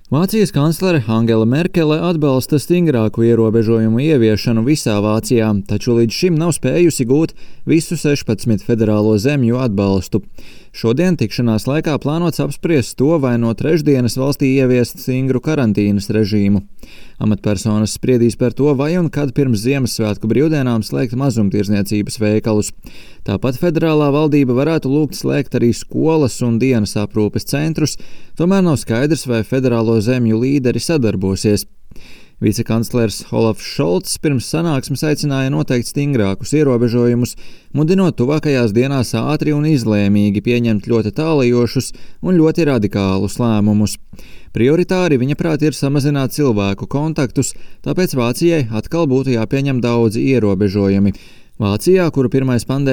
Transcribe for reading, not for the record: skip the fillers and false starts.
Vācijas kanclere Angela Merkele atbalsta stingrāku ierobežojumu ieviešanu visā Vācijā, taču līdz šim nav spējusi gūt visu 16 federālo zemju atbalstu. Šodien tikšanās laikā plānots apspriest to, vai no trešdienas valstī ieviest stingru karantīnas režīmu. Amatpersonas spriedīs par to, vai un kad pirms Ziemassvētku brīvdienām slēgt mazumtirdzniecības veikalus. Tāpat federālā valdība varētu lūgt slēgt arī skolas un dienas aprūpes centrus, tomēr nav skaidrs, vai federālo zemju līderi sadarbosies. Vicekanclers Olafs Šolts pirms sanāksmes aicināja noteikt stingrākus ierobežojumus, mudinot tuvākajās dienās ātri un izlēmīgi pieņemt ļoti tālajošus un ļoti radikālus lēmumus. Prioritāri viņa prāt ir samazināt cilvēku kontaktus, tāpēc Vācijai atkal būtu jāpieņem daudzi ierobežojumi. Vācijā, kuru pirmais pandēmijas